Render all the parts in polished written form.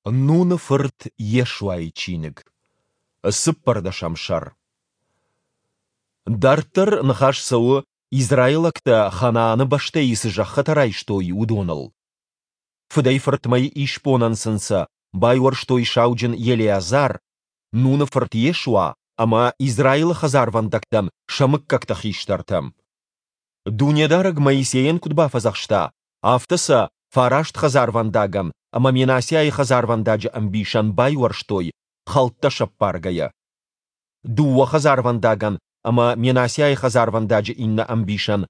Нуны фырт Йешуайы чиныг. Цыппӕрдӕсӕм сӕр. Дарддӕр ныхас цӕуы, израилӕгтӕ Ханааны бӕстӕйы цы зӕххытӕ райстой, уыдоныл. Фыдӕй-фыртмӕйы исбонӕн сын сӕ байуӕрстой сауджын Елеазар, Нуны фырт Йешуа ӕмӕ Израилы хӕдзарвӕндӕгтӕн сӕ мыггӕгты хистӕртӕ. Дунедарӕг Моисейӕн куыд бафӕдзӕхста, афтӕ сӕ фараст хӕдзарвӕндагӕн ӕмӕ Менассиайы хӕдзарвӕндаджы ӕмбисӕн байуӕрстой, хӕлттӕ сӕппаргӕйӕ. Дыууӕ хӕдзарвӕндагӕн ӕмӕ Менассиайы хӕдзарвӕндаджы иннӕ ӕмбисӕн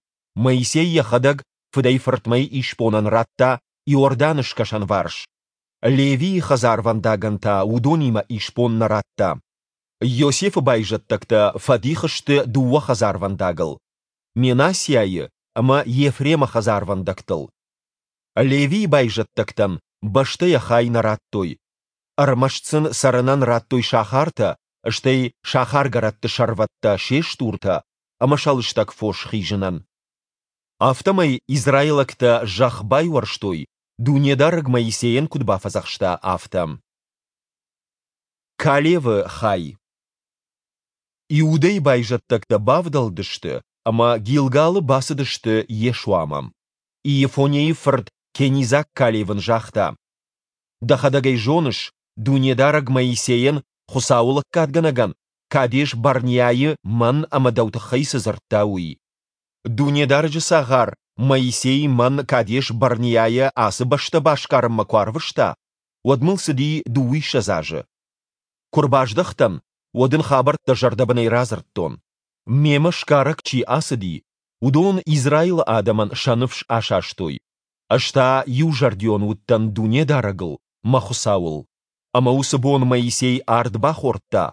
Моисей йӕхӕдӕг фыдӕй-фыртмӕйы исбонӕн радта Иорданы скӕсӕнварс, Левийы хӕдзарвӕндагӕн та уыдонимӕ исбон нӕ радта. Иосифы байзӕддӕгтӕ фӕдих сты дыууӕ хӕдзарвӕндагыл, Менассиайы ӕмӕ Ефремы хӕдзарвӕндӕгтыл. Левийы байзӕддӕгтӕн бӕстӕ йӕ хай нӕ радтой, ӕрмӕст сын цӕрынӕн радтой сахартӕ, стӕй сахаргӕрӕтты сӕрвӕттӕ се стуртӕ ӕмӕ сӕ лыстӕг фос хизынӕн. Афтӕмӕй израилӕгтӕ зӕхх байуӕрстой, Дунедарӕг Моисейӕн куыд бафӕдзӕхста, афтӕ. Калевы хай. Иудӕйы байзӕддӕгтӕ бавдӕлдысты ӕмӕ Гилгалы бацыдысты Йешуамӕ. Иефонейы фырт кенизаг Калев ын загъта: Дӕхӕдӕг ӕй зоныс, Дунедарӕг Моисейӕн, Хуыцауы лӕггадгӕнӕгӕн, Кадеш-Барнеайы мӕн ӕмӕ дӕу тыххӕй цы дзырдта, уый. Дунедарӕджы цагъар Моисей мӕн Кадеш-Барнеайӕ ацы бӕстӕ басгарынмӕ куы арвыста, уӕд мыл цыди дыууиссӕдз азы. Куы рбаздӕхтӕн, уӕд ын хабӕрттӕ зӕрдӕбынӕй радзырдтон. Мемӕ сгарӕг чи ацыди, уыдон Израилы адӕмӕн сӕ ныфс асастой, ӕз та иузӕрдион уыдтӕн Дунедарӕгыл, мӕ Хуыцауыл. Ӕмӕ уыцы бон Моисей ард бахордта: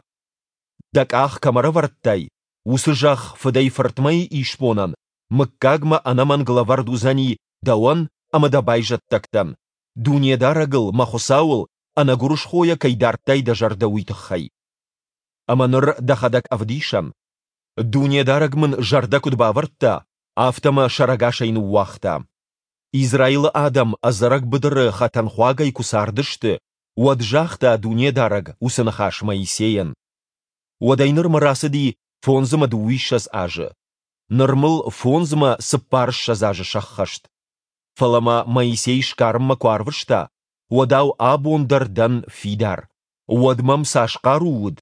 Дӕ къах кӕм ӕрӕвӕрдтай, уыцы зӕхх фыдӕй-фыртмӕйы исбонӕн мыггагмӕ ӕнӕмӕнг лӕвӕрд уыдзӕни дӕуӕн ӕмӕ дӕ байзӕддӕгтӕн, Дунедарӕгыл, мӕ Хуыцауыл, ӕнӕгуырысхойӕ кӕй дардтай дӕ зӕрдӕ, уый тыххӕй. Ӕмӕ ныр дӕхӕдӕг ӕвдисӕн. Дунедарӕг мын зӕрдӕ куыд бавӕрдта, афтӕ мӕ сӕрӕгасӕй ныууагъта. Израилы адӕм ӕдзӕрӕг быдыры хӕтӕнхуагӕй куы цардысты, уӕд загъта Дунедарӕг уыцы ныхас Моисейӕн. Уӕдӕй нырмӕ рацыди фондз ӕмӕ дыууиссӕдз азы. Ныр мыл фондз ӕмӕ цыппарыссӕдз азы сӕххӕст. Фӕлӕ мӕ Моисей сгарынмӕ куы арвыста, уӕдау абон дӕр дӕн фидар. Уӕд мӕм цас хъару уыд,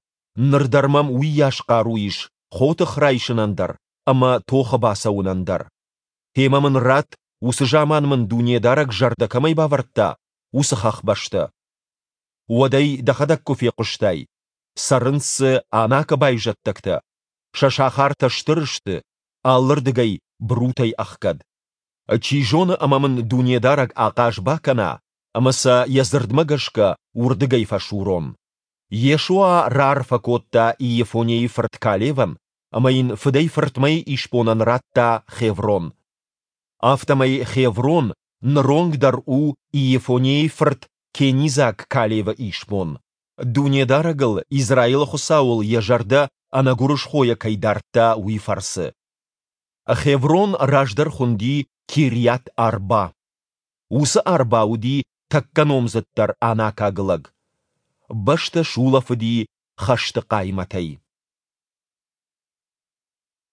ныр дӕр мӕм уыйас хъару ис хотых райсынӕн дӕр ӕмӕ тохы бацӕуынӕн дӕр. Гъемӕ мын ратт, уыцы заман мын Дунедарӕг зӕрдӕ кӕмӕй бавӕрдта, уыцы хӕхбӕстӕ. Уӕд ӕй дӕхӕдӕг куы фехъуыстай, цӕрынц дзы Анакы байзӕддӕгтӕ, сӕ сахартӕ стыр сты, алырдыгӕй брутӕй ӕхгӕд. Чи зоны ӕмӕ мын Дунедарӕг ахъаз бакӕна ӕмӕ сӕ йӕ дзырдмӕ гӕсгӕ уырдыгӕй фӕсурон. Йешуа раарфӕ кодта Иефонейы фырт Калевӕн ӕмӕ йын фыдӕй-фыртмӕйы исбонӕн радта Хеврон. Афтӕмӕй Хеврон ныронг дӕр у Иефонейы фырт кенизаг Калевы исбон, Дунедарӕгыл, Израилы Хуыцауыл йӕ зӕрдӕ ӕнӕгуырысхойӕ кӕй дардта, уый фӕрцы. Хеврон раздӕр хуынди Кирйат-Арба. Уыцы Арба уыди тӕккӕ номдзыддӕр анакаг лӕг. Бӕстӕ сулӕфыди хӕсты хъаймӕтӕй.